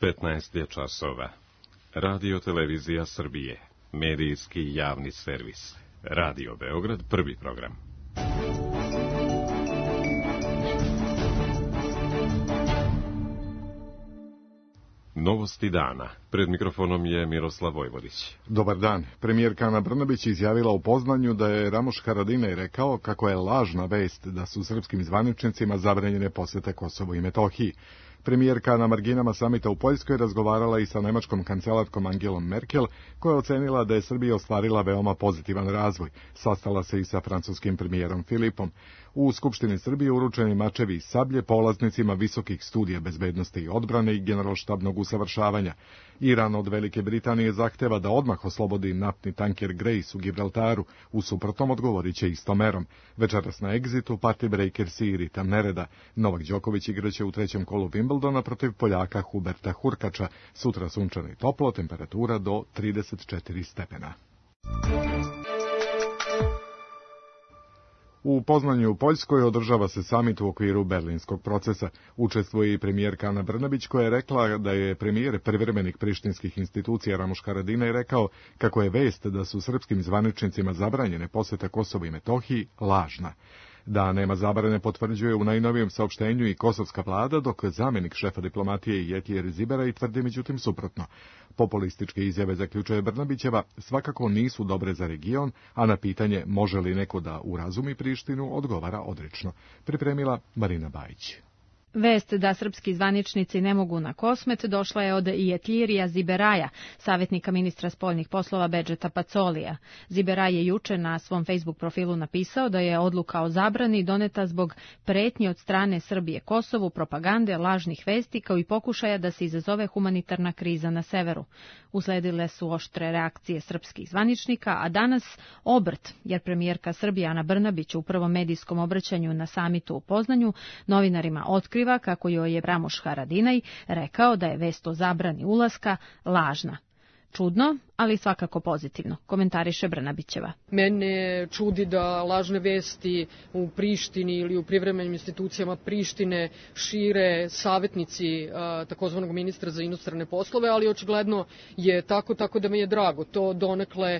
15 je časova. Radio Televizija Srbije. Medijski javni servis. Radio Beograd, prvi program. Novosti dana. Pred mikrofonom je Miroslav Vojvodić. Dobar dan. Premijerka Ana Brnabić izjavila u Poznanju da je Ramuš Haradinaj rekao kako je lažna vest da su srpskim zvaničnicima zabranjene posete Kosovu i Metohiji. Premijerka na marginama samita u Poljskoj razgovarala i sa nemačkom kancelarkom Angelom Merkel, koja je ocenila da je Srbija ostvarila veoma pozitivan razvoj. Sastala se i sa francuskim premijerom Filipom. U Skupštini Srbije uručeni mačevi i sablje polaznicima visokih studija bezbednosti i odbrane i generalštabnog usavršavanja. Iran od Velike Britanije zahteva da odmah oslobodi naftni tanker Grace u Gibraltaru, u suprotnom odgovorit će istom merom. Večeras na egzitu party breakers i ritam nereda. Novak Đoković igraće u trećem kolu Wimbledona protiv Poljaka Huberta Hurkača. Sutra sunčano i toplo, temperatura do 34 stepena. U Poznanju u Poljskoj održava se samit u okviru berlinskog procesa. Učestvuje i premijerka Ana Brnabić, koja je rekla da je premijer privremenih prištinskih institucija Ramuš Haradinaj rekao kako je vest da su srpskim zvaničnicima zabranjene posete Kosovu i Metohiji lažna. Da nema zabrane potvrđuje u najnovijem saopštenju i kosovska vlada, dok zamjenik šefa diplomatije Jetjer Ziberaj tvrdi međutim suprotno. Populističke izjave, zaključuje Brnabićeva, svakako nisu dobre za region, a na pitanje može li neko da urazumi Prištinu odgovara odrično. Pripremila Marina Bajić. Vest da srpski zvaničnici ne mogu na Kosmet došla je od Jetljirija Ziberaja, savjetnika ministra spoljnih poslova Bedžeta Pacolija. Ziberaj je juče na svom Facebook profilu napisao da je odluka o zabrani doneta zbog pretnje od strane Srbije Kosovu, propagande, lažnih vesti kao i pokušaja da se izazove humanitarna kriza na severu. Usledile su oštre reakcije srpskih zvaničnika, a danas obrt, jer premijerka Srbije Ana Brnabić u prvom medijskom obraćanju na samitu u Poznanju novinarima otkriva kako joj je Ramuš Haradinaj rekao da je vest o zabrani ulaska lažna. Čudno, ali svakako pozitivno, komentariše Brnabićeva. Mene čudi da lažne vesti u Prištini ili u privremenim institucijama Prištine šire savjetnici takozvanog ministra za inostrane poslove, ali očigledno je tako da mi je drago. To donekle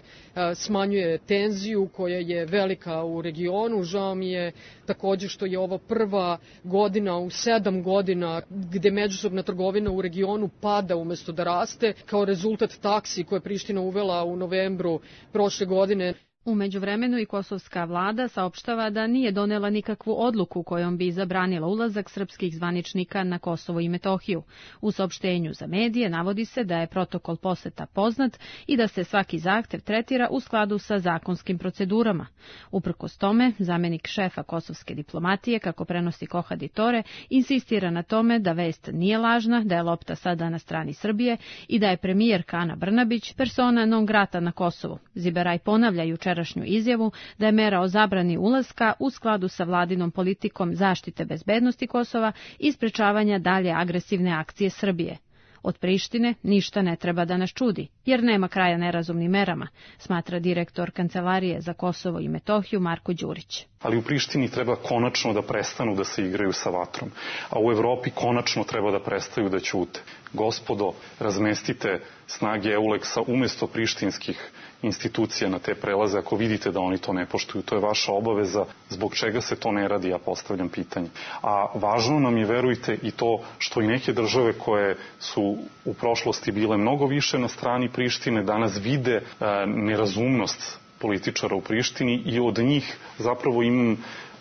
smanjuje tenziju koja je velika u regionu. Žao mi je također što je ovo prva godina u 7 godina gde međusobna trgovina u regionu pada umjesto da raste, kao rezultat taksi koje Priština uvela u novembru prošle godine. U međuvremenu i kosovska vlada saopštava da nije donela nikakvu odluku kojom bi zabranila ulazak srpskih zvaničnika na Kosovo i Metohiju. U saopštenju za medije navodi se da je protokol poseta poznat i da se svaki zahtev tretira u skladu sa zakonskim procedurama. Uprkos tome, zamjenik šefa kosovske diplomatije, kako prenosi Kohadi Tore, insistira na tome da vest nije lažna, da je lopta sada na strani Srbije i da je premijerka Ana Brnabić persona non grata na Kosovu. Ziberaj ponavlja jučerašnju izjavu da je mera o zabrani ulaska u skladu sa vladinom politikom zaštite bezbednosti Kosova i sprečavanja dalje agresivne akcije Srbije. Od Prištine ništa ne treba da nas čudi, jer nema kraja nerazumnim merama, smatra direktor Kancelarije za Kosovo i Metohiju Marko Đurić. Ali u Prištini treba konačno da prestanu da se igraju sa vatrom, a u Evropi konačno treba da prestaju da ćute. Gospodo, razmestite snage EULEX-a umjesto prištinskih institucija na te prelaze ako vidite da oni to ne poštuju. To je vaša obaveza. Zbog čega se to ne radi, ja postavljam pitanje. A važno nam je, verujte, i to što i neke države koje su u prošlosti bile mnogo više na strani Prištine danas vide nerazumnost političara u Prištini i od njih zapravo imam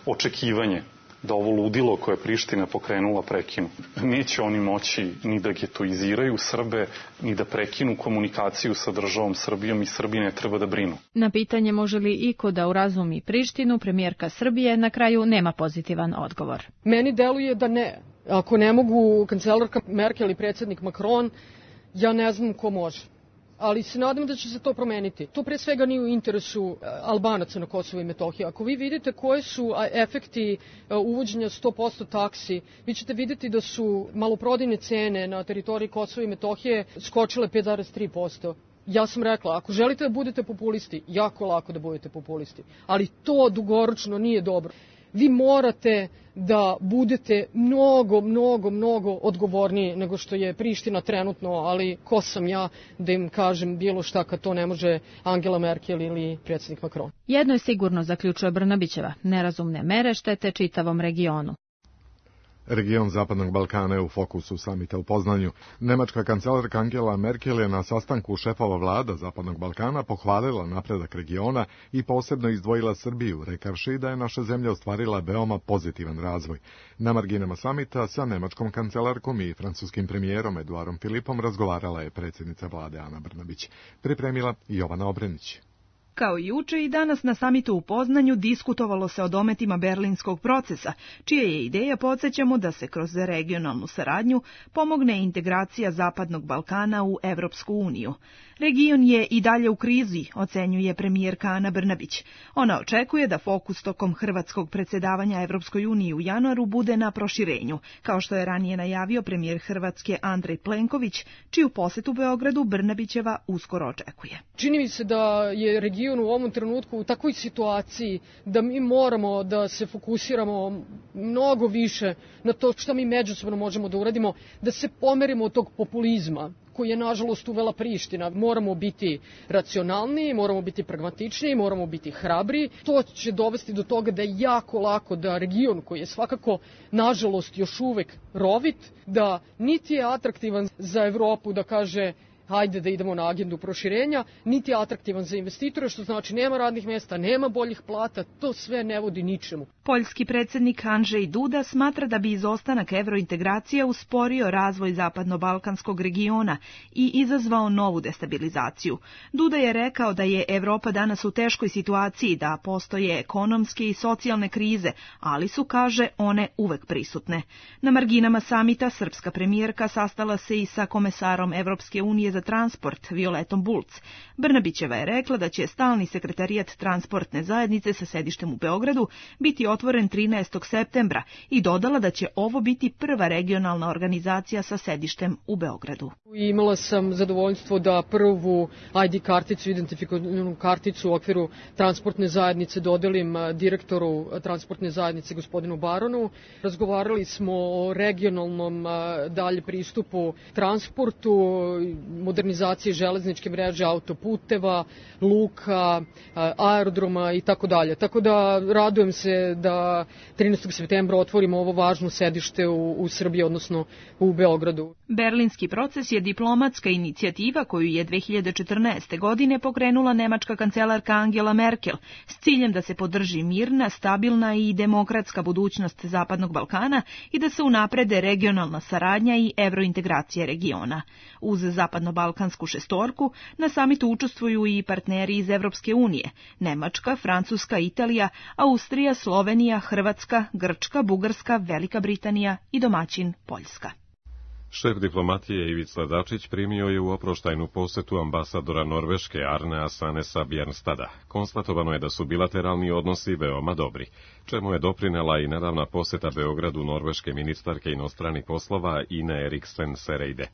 očekivanje da ovo ludilo koje je Priština pokrenula prekinu. Neće oni moći ni da getoiziraju Srbe, ni da prekinu komunikaciju sa državom Srbijom i Srbi ne treba da brinu. Na pitanje može li iko da urazumi Prištinu, premijerka Srbije na kraju nema pozitivan odgovor. Meni deluje da ne. Ako ne mogu kancelarka Merkel i predsjednik Macron, ja ne znam ko može. Ali se nadam da će se to promeniti. To pre svega nije u interesu Albanaca na Kosovo i Metohiji. Ako vi vidite koje su efekti uvođenja 100% taksi, vi ćete vidjeti da su maloprodajne cene na teritoriji Kosova i Metohije skočile 5,3%. Ja sam rekla, ako želite da budete populisti, jako lako da budete populisti, ali to dugoročno nije dobro. vi morate da budete mnogo odgovorniji nego što je Priština trenutno, ali ko sam ja da im kažem bilo šta kad to ne može Angela Merkel ili predsjednik Macron. Jedno je sigurno, zaključuje Brnabićeva, nerazumne mere štete čitavom regionu. Region Zapadnog Balkana je u fokusu samita u Poznanju. Nemačka kancelarka Angela Merkel je na sastanku šefova vlada Zapadnog Balkana pohvalila napredak regiona i posebno izdvojila Srbiju, rekavši da je naša zemlja ostvarila veoma pozitivan razvoj. Na marginama samita sa nemačkom kancelarkom i francuskim premijerom Eduardom Philippom razgovarala je predsjednica vlade Ana Brnabić. Pripremila Jovana Obrenić. Kao i juče i danas na samitu u Poznanju diskutovalo se o dometima berlinskog procesa, čija je ideja, podsjećamo, da se kroz regionalnu saradnju pomogne integracija Zapadnog Balkana u Evropsku uniju. Region je i dalje u krizi, ocenjuje premijerka Ana Brnabić. Ona očekuje da fokus tokom hrvatskog predsjedavanja Evropskoj uniji u januaru bude na proširenju, kao što je ranije najavio premijer Hrvatske Andrej Plenković, čiju posetu Beogradu Brnabićeva uskoro očekuje. Čini mi se da je region u ovom trenutku u takvoj situaciji da mi moramo da se fokusiramo mnogo više na to što mi međusobno možemo da uradimo, da se pomerimo od tog populizma koji je nažalost uvela Priština. Moramo biti racionalniji, moramo biti pragmatičniji, moramo biti hrabri. To će dovesti do toga da je jako lako da region koji je svakako nažalost još uvek rovit, da niti je atraktivan za Evropu da kaže hajde da idemo na agendu proširenja, niti je atraktivan za investitore, što znači nema radnih mjesta, nema boljih plata, to sve ne vodi ničemu. Poljski predsjednik Andrzej Duda smatra da bi izostanak evrointegracije usporio razvoj zapadno-balkanskog regiona i izazvao novu destabilizaciju. Duda je rekao da je Evropa danas u teškoj situaciji, da postoje ekonomske i socijalne krize, ali su, kaže, one uvek prisutne. Na marginama samita srpska premijerka sastala se i sa komesarom Evropske unije za transport Violetom Bulc. Brnabićeva je rekla da će stalni sekretarijat transportne zajednice sa sedištem u Beogradu biti otvoren 13. septembra i dodala da će ovo biti prva regionalna organizacija sa sedištem u Beogradu. Imala sam zadovoljstvo da prvu ID karticu, identifikativnu karticu u okviru transportne zajednice dodelim direktoru transportne zajednice gospodinu Baronu. Razgovarali smo o regionalnom dalje pristupu transportu, modernizacije železničke mreže, autoputeva, luka, aerodroma i tako dalje. Tako da radujem se da 13. septembra otvorimo ovo važno sedište u Srbiji, odnosno u Beogradu. Berlinski proces je diplomatska inicijativa koju je 2014. godine pokrenula nemačka kancelarka Angela Merkel s ciljem da se podrži mirna, stabilna i demokratska budućnost Zapadnog Balkana i da se unaprede regionalna saradnja i evrointegracija regiona. Uz Zapadno-balkansku šestorku na samitu učestvuju i partneri iz Evropske unije: Nemačka, Francuska, Italija, Austrija, Slovenija, Hrvatska, Grčka, Bugarska, Velika Britanija i domaćin Poljska. Šef diplomatije Ivica Dačić primio je u oproštajnu posetu ambasadora Norveške Arnea Sanesa Bjernstada. Konstatovano je da su bilateralni odnosi veoma dobri, čemu je doprinela i nedavna poseta Beogradu norveške ministarke inostranih poslova Ine Eriksen Søreide.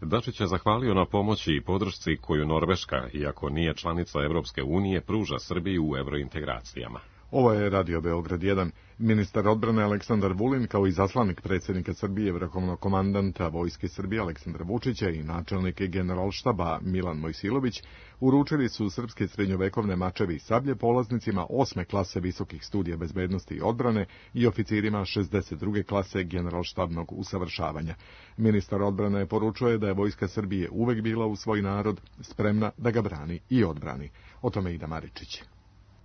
Dačić je zahvalio na pomoći i podršci koju Norveška, iako nije članica Evropske unije, pruža Srbiji u evrointegracijama. Ovo je Radio Beograd 1. Ministar odbrane Aleksandar Vulin, kao i zaslanik predsjednika Srbije, vrhovnog komandanta Vojske Srbije Aleksandra Vučića i načelnik Generalštaba Milan Mojsilović, uručili su srpske srednjovekovne mačevi i sablje polaznicima 8. klase visokih studija bezbednosti i odbrane i oficirima 62. klase generalštabnog usavršavanja. Ministar odbrane poručuje da je Vojska Srbije uvek bila u svoj narod, spremna da ga brani i odbrani. O tome Ida Maričić.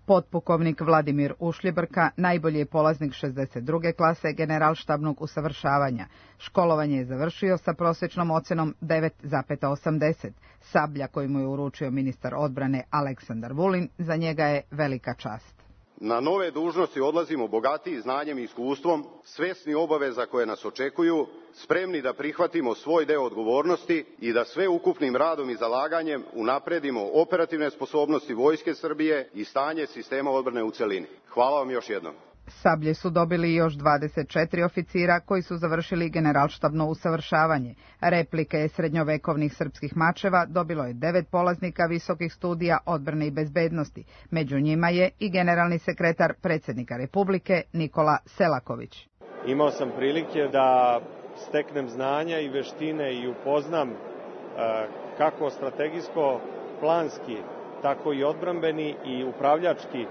Potpukovnik Vladimir Ušljibrka najbolji je polaznik 62. klase generalštabnog usavršavanja. Školovanje je završio sa prosječnom ocenom 9,80. Sablja koju mu je uručio ministar odbrane Aleksandar Vulin za njega je velika čast. Na nove dužnosti odlazimo bogatiji znanjem i iskustvom, svesni obaveza koje nas očekuju, spremni da prihvatimo svoj deo odgovornosti i da sve ukupnim radom i zalaganjem unapredimo operativne sposobnosti Vojske Srbije i stanje sistema odbrane u celini. Hvala vam još jednom. Sablje su dobili još 24 oficira koji su završili generalštabno usavršavanje. Replike srednjovekovnih srpskih mačeva dobilo je 9 polaznika visokih studija odbrane i bezbednosti. Među njima je i generalni sekretar predsjednika Republike Nikola Selaković. Imao sam prilike da steknem znanja i veštine i upoznam kako strategijsko-planski, tako i odbrambeni i upravljački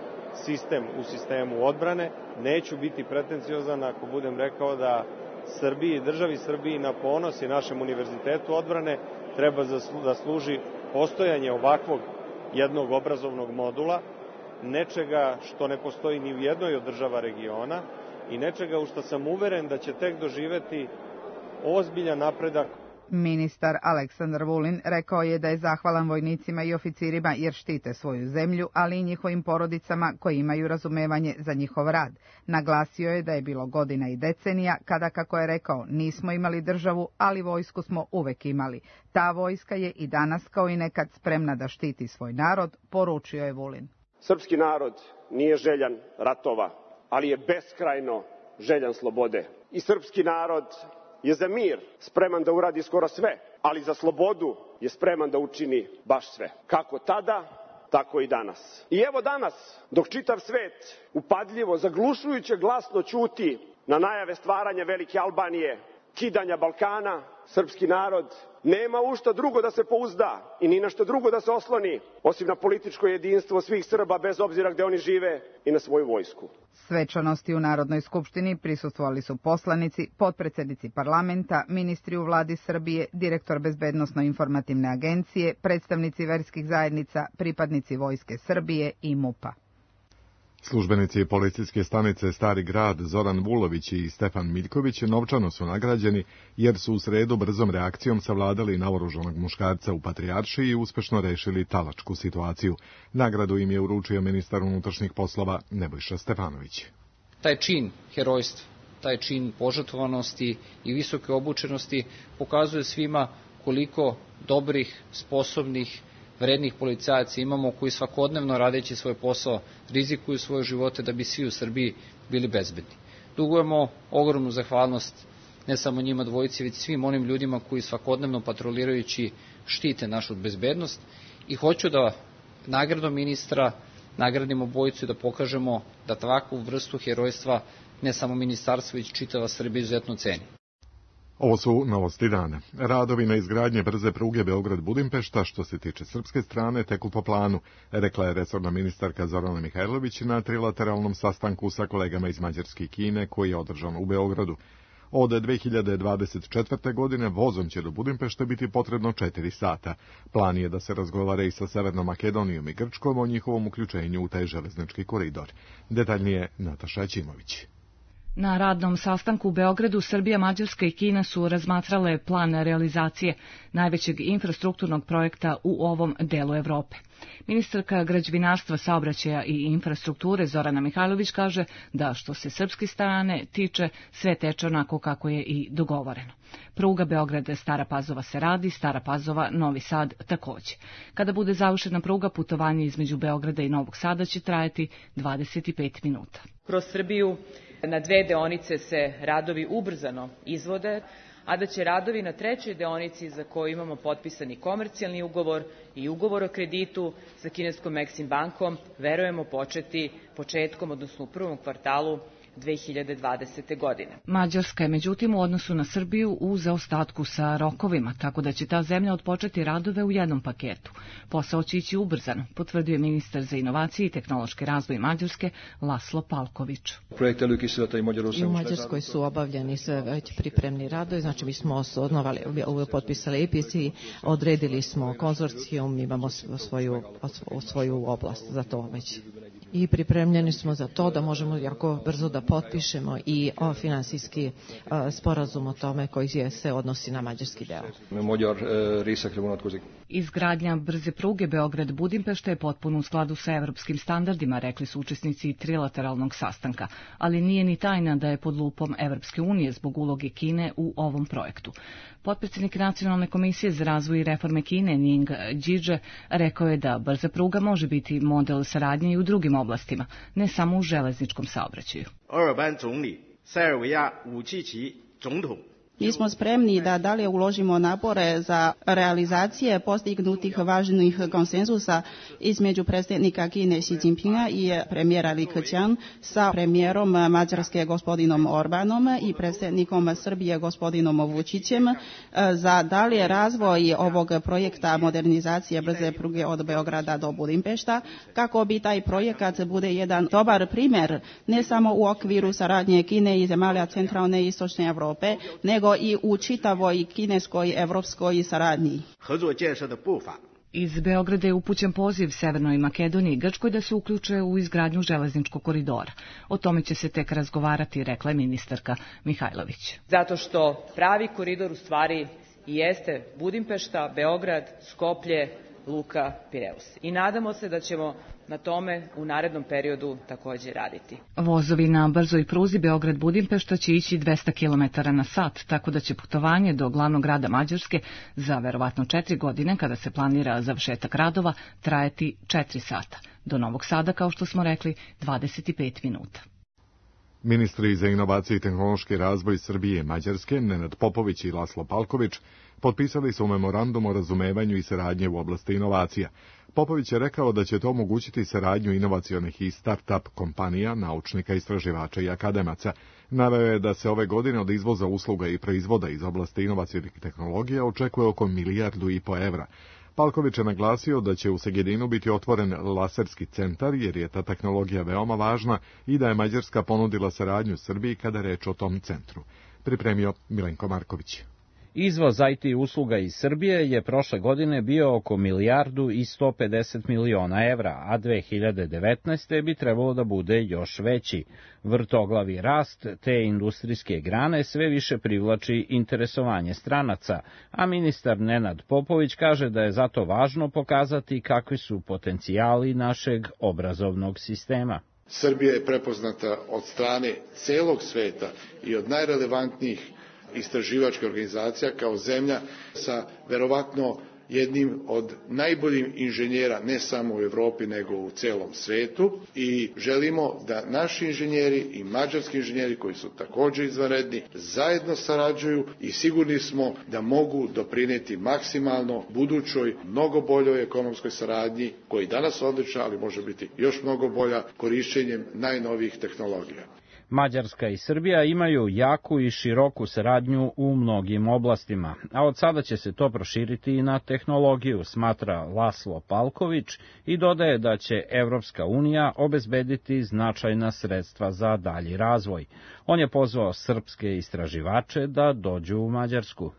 sistem u sistemu odbrane. Neću biti pretenciozan ako budem rekao da Srbiji, državi Srbiji na ponos i našem univerzitetu odbrane treba da služi postojanje ovakvog jednog obrazovnog modula, nečega što ne postoji ni u jednoj od država regiona i nečega u što sam uveren da će tek doživeti ozbiljan napredak. Ministar Aleksandar Vulin rekao je da je zahvalan vojnicima i oficirima jer štite svoju zemlju, ali i njihovim porodicama koji imaju razumevanje za njihov rad. Naglasio je da je bilo godina i decenija kada, kako je rekao, nismo imali državu, ali vojsku smo uvek imali. Ta vojska je i danas kao i nekad spremna da štiti svoj narod, poručio je Vulin. Srpski narod nije željan ratova, ali je beskrajno željan slobode. I srpski narod je za mir spreman da uradi skoro sve, ali za slobodu je spreman da učini baš sve. Kako tada, tako i danas. I evo danas, dok čitav svet upadljivo, zaglušujuće glasno ćuti na najave stvaranja Velike Albanije, kidanja Balkana, srpski narod nema u šta drugo da se pouzda i ni na šta drugo da se osloni, osim na političko jedinstvo svih Srba bez obzira gde oni žive i na svoju vojsku. Svečanosti u Narodnoj skupštini prisustvovali su poslanici, potpredsednici parlamenta, ministri u vladi Srbije, direktor Bezbednosno-informativne agencije, predstavnici verskih zajednica, pripadnici Vojske Srbije i MUP-a. Službenici policijske stanice Stari grad Zoran Vulović i Stefan Miljković novčano su nagrađeni jer su u sredu brzom reakcijom savladali naoružanog muškarca u Patrijaršiji i uspešno rešili talačku situaciju. Nagradu im je uručio ministar unutrašnjih poslova Nebojša Stefanović. Taj čin herojstva, taj čin požrtvovanosti i visoke obučenosti pokazuje svima koliko dobrih, sposobnih, vrednih policajaca imamo koji svakodnevno radeći svoj posao rizikuju svoje živote da bi svi u Srbiji bili bezbedni. Dugujemo ogromnu zahvalnost ne samo njima dvojici, već svim onim ljudima koji svakodnevno patrolirajući štite našu bezbednost i hoću da nagradom ministra nagradimo bojicu i da pokažemo da takvu vrstu herojstva ne samo ministarstvo, već čitava Srbija izuzetno ceni. Ovo su novosti dana. Radovi na izgradnje brze pruge Beograd-Budimpešta, što se tiče srpske strane, teku po planu, rekla je resorna ministarka Zorana Mihajlović na trilateralnom sastanku sa kolegama iz Mađarske i Kine, koji je održan u Beogradu. Od 2024. godine vozom će do Budimpešte biti potrebno 4 sata. Plan je da se razgovara i sa Severnom Makedonijom i Grčkom o njihovom uključenju u taj železnički koridor. Detaljnije Nataša Ćimović. Na radnom sastanku u Beogradu Srbija, Mađarska i Kina su razmatrale plan realizacije najvećeg infrastrukturnog projekta u ovom delu Evrope. Ministarka građevinarstva, saobraćaja i infrastrukture Zorana Mihajlović kaže da što se srpske strane tiče sve teče onako kako je i dogovoreno. Pruga Beograd-Stara Pazova se radi, Stara Pazova-Novi Sad takođe. Kada bude završena pruga, putovanje između Beograda i Novog Sada će trajati 25 minuta. Kroz Srbiju na 2 deonice se radovi ubrzano izvode, a da će radovi na 3. deonici za koju imamo potpisani komercijalni ugovor i ugovor o kreditu sa kineskom Exim bankom, verujemo početi početkom, odnosno u prvom kvartalu 2020. godine. Mađarska je međutim u odnosu na Srbiju u zaostatku sa rokovima, tako da će ta zemlja odpočeti radove u jednom paketu. Posao će ići ubrzano, potvrdio je ministar za inovacije i tehnološki razvoj Mađarske Laslo Palković. I u Mađarskoj su obavljeni sve već pripremni radovi, znači mi smo potpisali EPC, odredili smo konzorcijum, imamo svoju oblast za to već. I pripremljeni smo za to da možemo jako brzo da potpišemo i finansijski sporazum o tome koji se odnosi na mađarski deo. Izgradnja brze pruge Beograd-Budimpešta je potpuno u skladu sa evropskim standardima, rekli su učesnici trilateralnog sastanka, ali nije ni tajna da je pod lupom Evropske unije zbog uloge Kine u ovom projektu. Potpredsjednik Nacionalne komisije za razvoj i reforme Kine Ning Jie rekao je da brza pruga može biti model saradnje i u drugim oblastima, ne samo u železničkom saobraćaju. Mi smo spremni da dalje uložimo napore za realizacije postignutih važnih konsenzusa između predsjednika Kine Xi Jinpinga i premijera Li Keqiang sa premijerom Mađarske gospodinom Orbanom i predsjednikom Srbije gospodinom Vučićem za dalje razvoj ovog projekta modernizacije brze pruge od Beograda do Budimpešta, kako bi taj projekat bude jedan dobar primjer ne samo u okviru saradnje Kine i zemalja centralne i istočne Europe, nego i u čitavoj kineskoj evropskoj saradnji. Iz Beograda je upućen poziv Severnoj Makedoniji i Grčkoj da se uključe u izgradnju železničkog koridora. O tome će se tek razgovarati, rekla je ministarka Mihajlović. Zato što pravi koridor u stvari i jeste Budimpešta, Beograd, Skoplje, Luka, Pireus. I nadamo se da ćemo na tome u narednom periodu također raditi. Vozovi na brzoj pruzi Beograd-Budimpešta će ići 200 km na sat, tako da će putovanje do glavnog grada Mađarske za verovatno 4 godine, kada se planira završetak radova, trajati 4 sata. Do Novog Sada, kao što smo rekli, 25 minuta. Ministri za inovacije i tehnološki razvoj Srbije i Mađarske, Nenad Popović i Laslo Palković, potpisali su memorandum o razumevanju i saradnje u oblasti inovacija. Popović je rekao da će to omogućiti saradnju inovacionih i start-up kompanija, naučnika, istraživača i akademaca. Naveo je da se ove godine od izvoza usluga i proizvoda iz oblasti inovacionih tehnologija očekuje oko 1,5 milijardu evra. Palković je naglasio da će u Segedinu biti otvoren laserski centar, jer je ta tehnologija veoma važna i da je Mađarska ponudila saradnju Srbiji kada je reč o tom centru. Pripremio Milenko Marković. Izvoz IT usluga iz Srbije je prošle godine bio oko 1,150 miliona evra, a 2019. bi trebalo da bude još veći. Vrtoglavi rast te industrijske grane sve više privlači interesovanje stranaca, a ministar Nenad Popović kaže da je zato važno pokazati kakvi su potencijali našeg obrazovnog sistema. Srbija je prepoznata od strane celog sveta i od najrelevantnijih istraživačkih organizacija kao zemlja sa verovatno jednim od najboljih inženjera ne samo u Evropi nego u celom svetu i želimo da naši inženjeri i mađarski inženjeri koji su također izvanredni zajedno sarađuju i sigurni smo da mogu doprineti maksimalno budućoj mnogo boljoj ekonomskoj saradnji koja je danas odlična, ali može biti još mnogo bolja korišćenjem najnovijih tehnologija. Mađarska i Srbija imaju jaku i široku saradnju u mnogim oblastima, a od sada će se to proširiti i na tehnologiju, smatra Laslo Palković i dodaje da će Evropska unija obezbediti značajna sredstva za dalji razvoj. On je pozvao srpske istraživače da dođu u Mađarsku.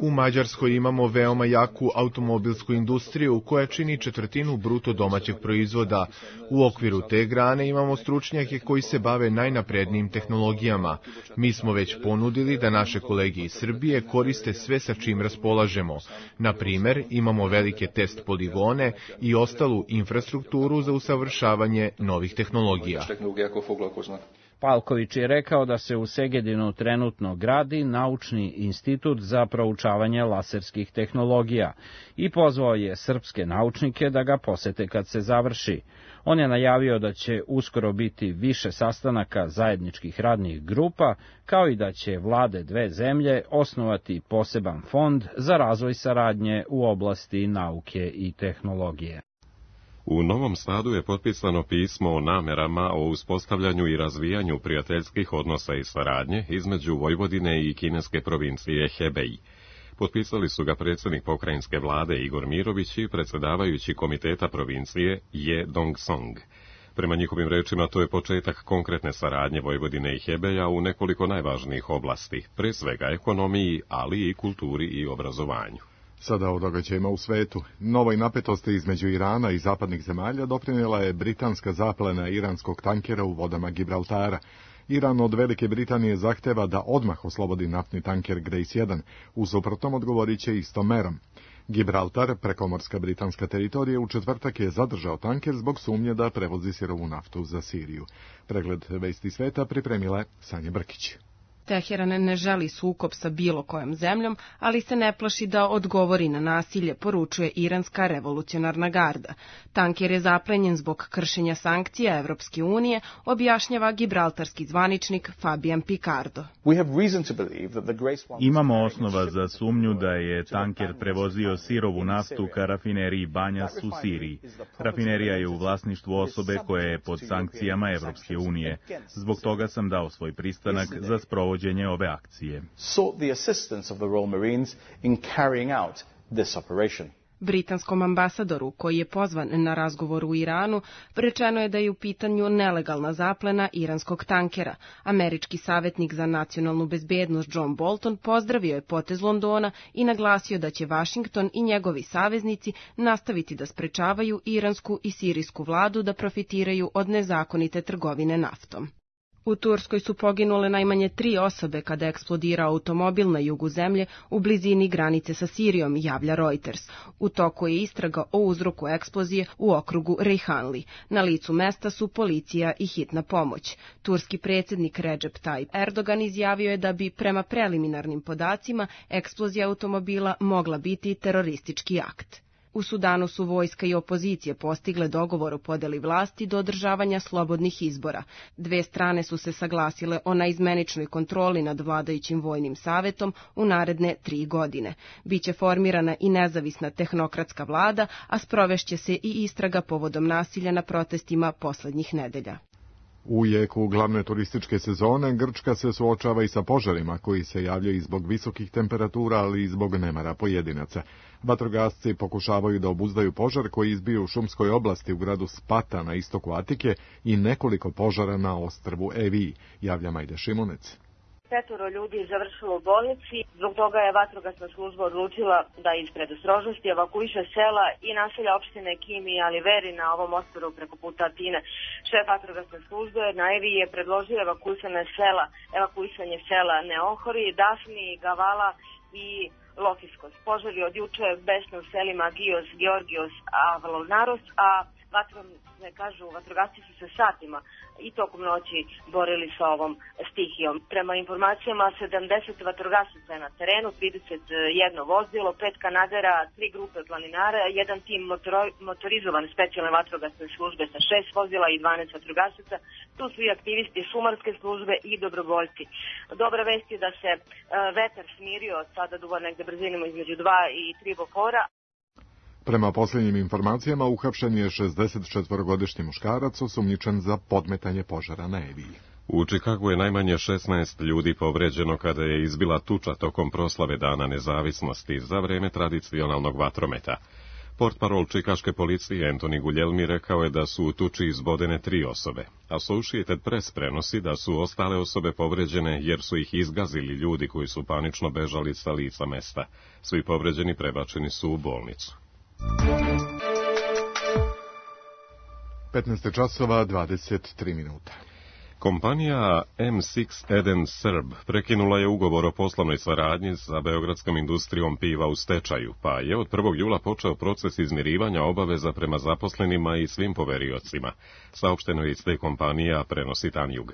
U Mađarskoj imamo veoma jaku automobilsku industriju koja čini 1/4 bruto domaćeg proizvoda. U okviru te grane imamo stručnjake koji se bave najnaprednijim tehnologijama. Mi smo već ponudili da naše kolege iz Srbije koriste sve sa čim raspolažemo. Na primer, imamo velike test poligone i ostalu infrastrukturu za usavršavanje novih tehnologija. Palković je rekao da se u Segedinu trenutno gradi naučni institut za proučavanje laserskih tehnologija i pozvao je srpske naučnike da ga posete kad se završi. On je najavio da će uskoro biti više sastanaka zajedničkih radnih grupa, kao i da će vlade dve zemlje osnovati poseban fond za razvoj saradnje u oblasti nauke i tehnologije. U Novom Sadu je potpisano pismo o namerama o uspostavljanju i razvijanju prijateljskih odnosa i saradnje između Vojvodine i kineske provincije Hebei. Potpisali su ga predsjednik pokrajinske vlade Igor Mirović i predsjedavajući komiteta provincije Je Dong-song. Prema njihovim rečima, to je početak konkretne saradnje Vojvodine i Hebeja u nekoliko najvažnijih oblasti, pre svega ekonomiji, ali i kulturi i obrazovanju. Sada o događajima u svetu. Novoj napetosti između Irana i zapadnih zemalja doprinijela je britanska zaplena iranskog tankera u vodama Gibraltara. Iran od Velike Britanije zahteva da odmah oslobodi naftni tanker Grace 1, u suprotnom odgovorit će istom merom. Gibraltar, prekomorska britanska teritorija, u četvrtak je zadržao tanker zbog sumnje da prevozi sirovu naftu za Siriju. Pregled vesti sveta pripremila je Sanja Brkić. Teheran ne želi sukob sa bilo kojom zemljom, ali se ne plaši da odgovori na nasilje, poručuje iranska revolucionarna garda. Tanker je zaplenjen zbog kršenja sankcija Evropske unije, objašnjava gibraltarski zvaničnik Fabian Picardo. Imamo osnova za sumnju da je tanker prevozio sirovu naftu ka rafineriji Banjas u Siriji. Rafinerija je u vlasništvu osobe koja je pod sankcijama Evropske unije. Zbog toga sam dao svoj pristanak za sprovođenje ove akcije. Britanskom ambasadoru, koji je pozvan na razgovor u Iranu, rečeno je da je u pitanju nelegalna zaplena iranskog tankera. Američki savjetnik za nacionalnu bezbednost John Bolton pozdravio je potez Londona i naglasio da će Vašington i njegovi saveznici nastaviti da sprečavaju iransku i sirijsku vladu da profitiraju od nezakonite trgovine naftom. U Turskoj su poginule najmanje 3 osobe kada je eksplodirao automobil na jugu zemlje u blizini granice sa Sirijom, javlja Reuters. U toku je istraga o uzroku eksplozije u okrugu Reyhanli. Na licu mesta su policija i hitna pomoć. Turski predsjednik Recep Tayyip Erdogan izjavio je da bi prema preliminarnim podacima eksplozija automobila mogla biti teroristički akt. U Sudanu su vojska i opozicije postigle dogovor o podeli vlasti do održavanja slobodnih izbora. Dve strane su se saglasile o naizmeničnoj kontroli nad vladajućim vojnim savetom u naredne 3 godine. Biće formirana i nezavisna tehnokratska vlada, a sprovešće se i istraga povodom nasilja na protestima poslednjih nedelja. U jeku glavne turističke sezone Grčka se suočava i sa požarima koji se javljaju zbog visokih temperatura, ali i zbog nemara pojedinaca. Vatrogasci pokušavaju da obuzdaju požar koji izbio u šumskoj oblasti u gradu Spata na istoku Atike i nekoliko požara na ostrvu Eviji, javlja Majda Šimunec. 5 ljudi je završilo u bolnici, zbog toga je vatrogasna služba odlučila da iz predostrožnosti evakuiše sela i naselja opštine Kimi i Aliveri na ovom ostrvu preko puta Atine. Šef vatrogasne službe na Eviji je predložio evakuisanje sela Neohori, Dafni, Gavala i Lokiskos. Požar je od juče besne u selima Gios, Georgios, Avlonaros, a vatrogasci su se satima i tokom noći borili sa ovom stihijom. Prema informacijama 70 vatrogasaca je na terenu, 31 vozilo, 5 kanadera, 3 grupe planinara, jedan tim motorizovan specijalne vatrogasne službe sa 6 vozila i 12 vatrogasaca. Tu su i aktivisti šumarske službe i dobrovoljci. Dobra vest je da se vetar smirio, sada duva negde brzinama između 2 i 3 bokora. Prema posljednjim informacijama, uhapšen je 64-godišnji muškarac osumnjičen za podmetanje požara na Eviji. U Čikagu je najmanje 16 ljudi povređeno kada je izbila tuča tokom proslave Dana nezavisnosti za vreme tradicionalnog vatrometa. Portparol čikaške policije Antoni Guglielmi rekao je da su u tuči izbodene 3 osobe. Associated Press prenosi da su ostale osobe povređene jer su ih izgazili ljudi koji su panično bežali sa lica mesta. Svi povređeni prebačeni su u bolnicu. 15 časova 23 minuta. Kompanija M6 Eden Srb prekinula je ugovor o poslovnoj saradnji sa beogradskom industrijom piva u stečaju, pa je od 1. jula počeo proces izmirivanja obaveza prema zaposlenima i svim poveriocima. Saopšteno je iz te kompanije, a prenosi Tanjug.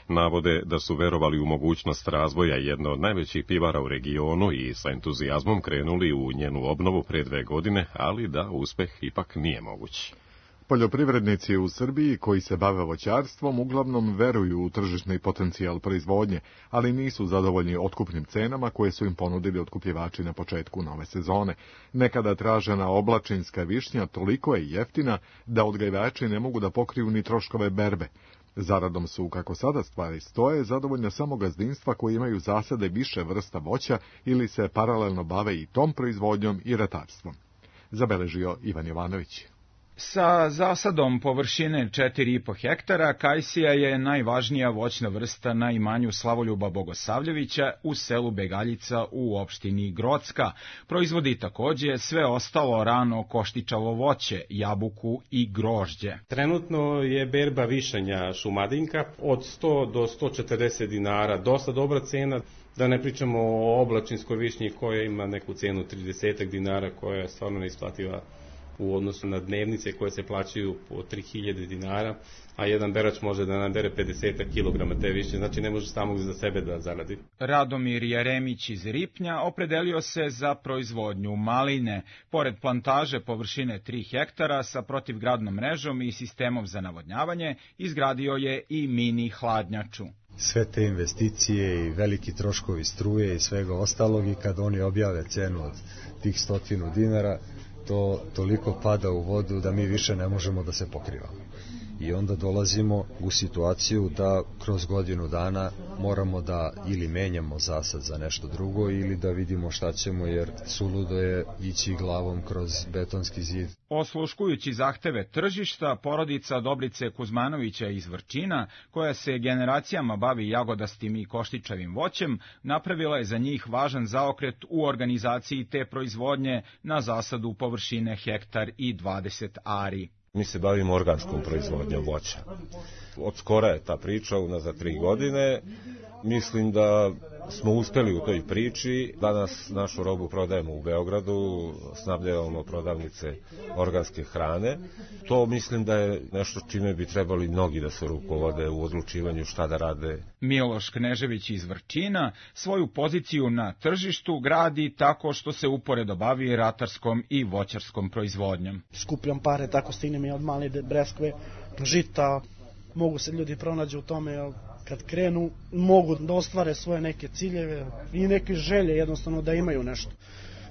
Navode da su verovali u mogućnost razvoja jedne od najvećih pivara u regionu i sa entuzijazmom krenuli u njenu obnovu pre 2 godine, ali da uspeh ipak nije moguć. Poljoprivrednici u Srbiji koji se bave voćarstvom uglavnom veruju u tržišni potencijal proizvodnje, ali nisu zadovoljni otkupnim cenama koje su im ponudili otkupljivači na početku nove sezone. Nekada tražena oblačinska višnja toliko je jeftina da odgajivači ne mogu da pokriju ni troškove berbe. Zaradom su, kako sada stvari stoje, zadovoljna samo gazdinstva koji imaju zasade više vrsta voća ili se paralelno bave i tom proizvodnjom i ratarstvom. Zabeležio Ivan Jovanović. Sa zasadom površine 4,5 hektara, kajsija je najvažnija voćna vrsta na imanju Slavoljuba Bogosavljevića u selu Begaljica u opštini Grocka. Proizvodi takođe sve ostalo rano koštičavo voće, jabuku i grožđe. Trenutno je berba višanja šumadinka od 100 do 140 dinara, dosta dobra cena. Da ne pričamo o oblačinskoj višnji koja ima neku cenu 30 dinara koja je stvarno neisplativa u odnosu na dnevnice koje se plaćaju po 3000 dinara, a jedan berač može da nabere 50 kg te više, znači ne može samo za sebe da zaradi. Radomir Jeremić iz Ripnja opredelio se za proizvodnju maline. Pored plantaže površine 3 hektara sa protivgradnom mrežom i sistemom za navodnjavanje, izgradio je i mini hladnjaču. Sve te investicije i veliki troškovi struje i svega ostalog, i kad oni objave cenu od tih 100 dinara, to toliko pada u vodu da mi više ne možemo da se pokrivamo. I onda dolazimo u situaciju da kroz godinu dana moramo da ili menjamo zasad za nešto drugo ili da vidimo šta ćemo, jer suludo je ići glavom kroz betonski zid. Osluškujući zahteve tržišta, porodica Dobrice Kuzmanovića iz Vrčina, koja se generacijama bavi jagodastim i koštičavim voćem, napravila je za njih važan zaokret u organizaciji te proizvodnje na zasadu površine hektar i 20 ari. Mi se bavimo organskom proizvodnjom voća. Od skora je ta priča, unazad 3 godine. Mislim da smo uspeli u toj priči. Danas našu robu prodajemo u Beogradu, snabdevamo prodavnice organske hrane. To mislim da je nešto čime bi trebali mnogi da se rukovode u odlučivanju šta da rade. Miloš Knežević iz Vrčina svoju poziciju na tržištu gradi tako što se uporedo bavi ratarskom i voćarskom proizvodnjom. Skupljam pare, tako stignem i od male breskve, žita, mogu se ljudi pronađu u tome, kad krenu mogu da ostvare svoje neke ciljeve i neke želje, jednostavno da imaju nešto.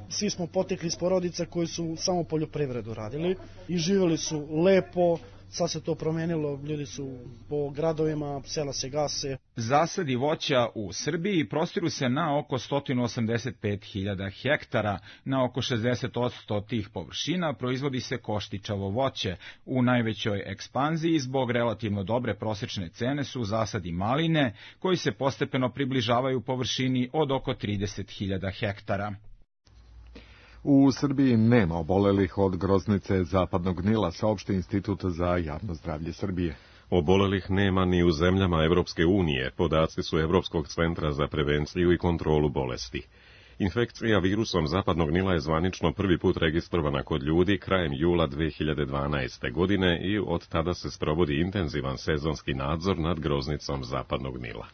Svi smo potekli iz porodica koji su samo poljoprivredu radili i živjeli su lepo. Sad se to promenilo, ljudi su po gradovima, sela se gase. Zasadi voća u Srbiji prostiru se na oko 185.000 hektara. Na oko 60% tih površina proizvodi se koštičavo voće. U najvećoj ekspanziji zbog relativno dobre prosečne cene su zasadi maline, koji se postepeno približavaju površini od oko 30.000 hektara. U Srbiji nema obolelih od groznice zapadnog Nila, saopšti Institut za javno zdravlje Srbije. Obolelih nema ni u zemljama Evropske unije, podaci su Evropskog centra za prevenciju i kontrolu bolesti. Infekcija virusom zapadnog Nila je zvanično prvi put registrovana kod ljudi krajem jula 2012. godine i od tada se sprovodi intenzivan sezonski nadzor nad groznicom zapadnog Nila.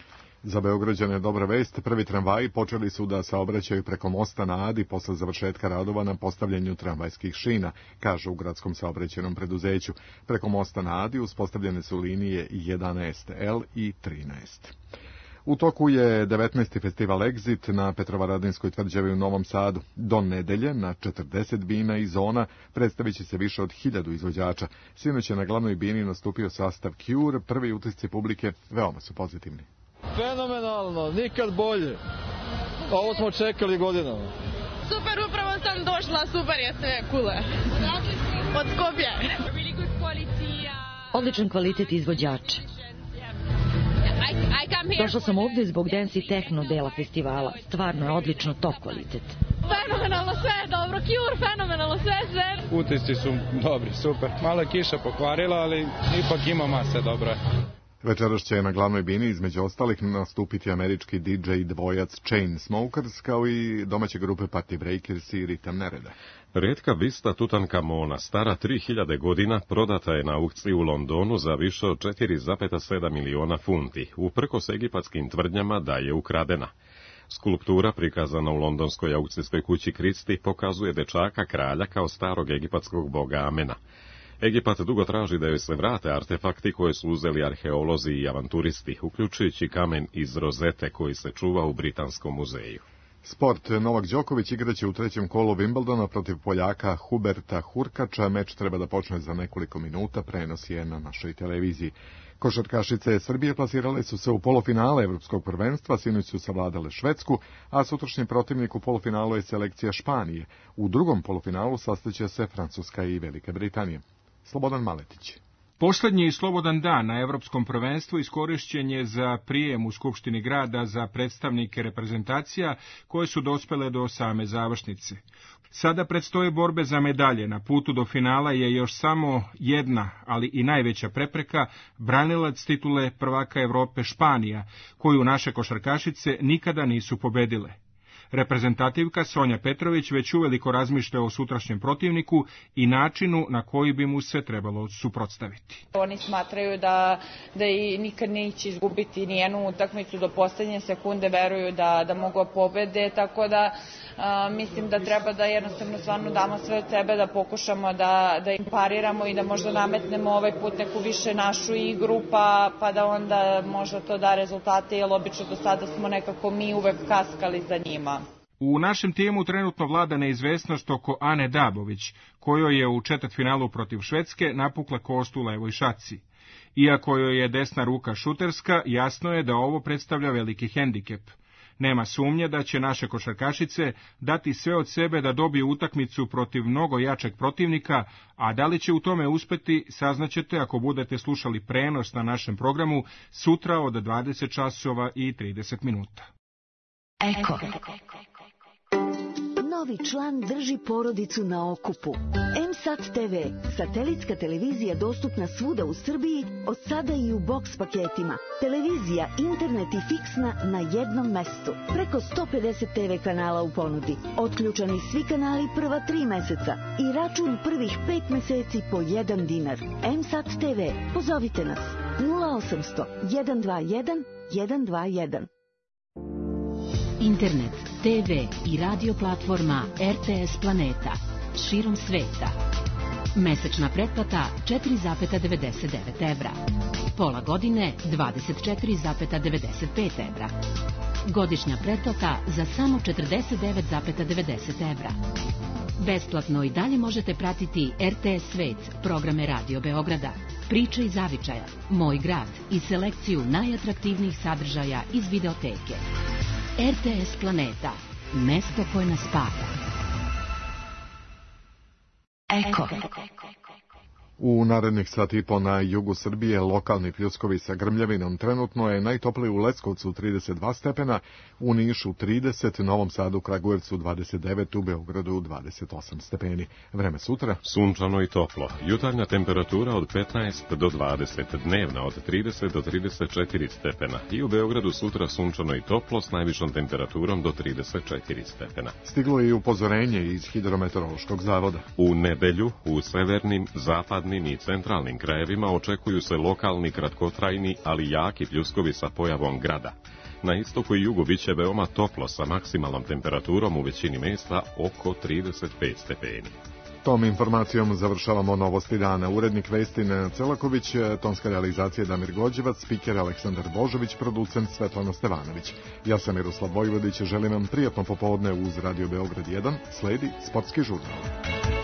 Za Beograđane dobra vest, prvi tramvaji počeli su da saobraćaju preko mosta na Adi posle završetka radova na postavljanju tramvajskih šina, kaže u gradskom saobraćajnom preduzeću. Preko mosta na Adi uspostavljene su linije 11L i 13. U toku je 19. festival Exit na Petrovaradinskoj tvrđavi u Novom Sadu. Do nedelje na 40 bina i zona predstavit će se više od 1000 izvođača. Sinoć je na glavnoj bini nastupio sastav Cure, prvi utisci publike veoma su pozitivni. Fenomenalno, nikad bolje. Ovo smo čekali godinama. Super, upravo sam došla, super je sve, kule. Od Skopje. Odličan kvalitet izvođača. Došla sam ovdje zbog dance i techno dela festivala. Stvarno je odlično top kvalitet. Fenomenalno, sve je dobro, Cure, fenomenalno, sve. Utisci su dobri, super. Malo je kiša pokvarila, ali ipak ima mase dobra. Večeras će na glavnoj bini između ostalih nastupiti američki DJ dvojac Chainsmokers kao i domaće grupe Party Breakers i Ritam Nereda. Retka bista Tutankamona, stara 3000 godina, prodata je na aukciji u Londonu za više od 4,7 miliona funti, uprkos egipatskim tvrdnjama da je ukradena. Skulptura prikazana u londonskoj aukcijskoj kući Christie pokazuje dečaka kralja kao starog egipatskog boga Amena. Egipat dugo traži da joj se vrate artefakti koje su uzeli arheolozi i avanturisti, uključujući kamen iz rozete koji se čuva u Britanskom muzeju. Sport. Novak Đoković igraće u trećem kolu Wimbledona protiv Poljaka Huberta Hurkača. Meč treba da počne za nekoliko minuta, prenos je na našoj televiziji. Košarkašice Srbije plasirale su se u polufinale Evropskog prvenstva, sinoć su savladale Švedsku, a sutrašnji protivnik u polufinalu je selekcija Španije. U drugom polufinalu sastaće se Francuska i Velika Britanija. Slobodan Maletić. Poslednji slobodan dan na Evropskom prvenstvu iskorišćen je za prijem u Skupštini grada za predstavnike reprezentacija koje su dospele do same završnice. Sada predstoje borbe za medalje. Na putu do finala je još samo jedna, ali i najveća prepreka, branilac titule prvaka Evrope Španija, koju naše košarkašice nikada nisu pobedile. Reprezentativka Sonja Petrović već uveliko razmišlja o sutrašnjem protivniku i načinu na koji bi mu se trebalo suprotstaviti. Oni smatraju da i nikad neće izgubiti nijednu utakmicu do poslednje sekunde, veruju da mogu pobede, tako da mislim da treba da jednostavno stvarno damo sve od sebe, da pokušamo da im pariramo i da možda nametnemo ovaj put neku više našu igru, pa da onda možda to da rezultate, jer obično do sada smo nekako mi uvek kaskali za njima. U našem timu trenutno vlada neizvesnost oko Ane Dabović, kojoj je u četvrtfinalu protiv Švedske napukla kost u levoj šaci. Iako joj je desna ruka šuterska, jasno je da ovo predstavlja veliki hendikep. Nema sumnje da će naše košarkašice dati sve od sebe da dobiju utakmicu protiv mnogo jačeg protivnika, a da li će u tome uspeti saznaćete ako budete slušali prenos na našem programu sutra od 20 časova i 30 minuta. Eko. Novi član drži porodicu na okupu. M-Sat TV, satelitska televizija dostupna svuda u Srbiji, od sada i u boks paketima. Televizija, internet i fiksna na jednom mestu. Preko 150 TV kanala u ponudi. Otključani svi kanali prva 3 meseca i račun prvih 5 meseci po 1 dinar. M-Sat TV, pozovite nas 0800 121 121. Internet, TV i radio platforma RTS Planeta širom sveta. Mesečna pretplata 4,99 evra. Pola godine 24,95 evra. Godišnja pretplata za samo 49,90 evra. Besplatno i dalje možete pratiti RTS Svet, programe Radio Beograda, Priče iz Zavičaja, Moj grad i selekciju najatraktivnijih sadržaja iz videoteke. RTS Planeta, mesto koje nas spaja. Eko. U narednih sat i po na jugu Srbije lokalni pljuskovi sa grmljavinom. Trenutno je najtopliji u Leskovcu 32 stepena, u Nišu 30, Novom Sadu, Kragujevcu 29, u Beogradu 28 stepeni. Vreme sutra? Sunčano i toplo. Jutarnja temperatura od 15 do 20, dnevna od 30 do 34 stepena. I u Beogradu sutra sunčano i toplo s najvišom temperaturom do 34 stepena. Stiglo je i upozorenje iz Hidrometeorološkog zavoda. U nedelju, u severnim, zapadnim i centralnim krajevima očekuju se lokalni kratkotrajni, ali jaki pljuskovi sa pojavom grada. Na istoku i jugu biće veoma toplo sa maksimalnom temperaturom u većini mesta oko 35 stepeni. Tom informacijom završavamo novosti dana. Urednik vesti Nenad Celaković, tonska realizacija Damir Gođevac, spiker Aleksandar Božović, producent Svetlana Stevanović. Ja sam Miroslav Vojvodić, želim vam prijatno popodne uz Radio Beograd 1, sledi sportski žurnal.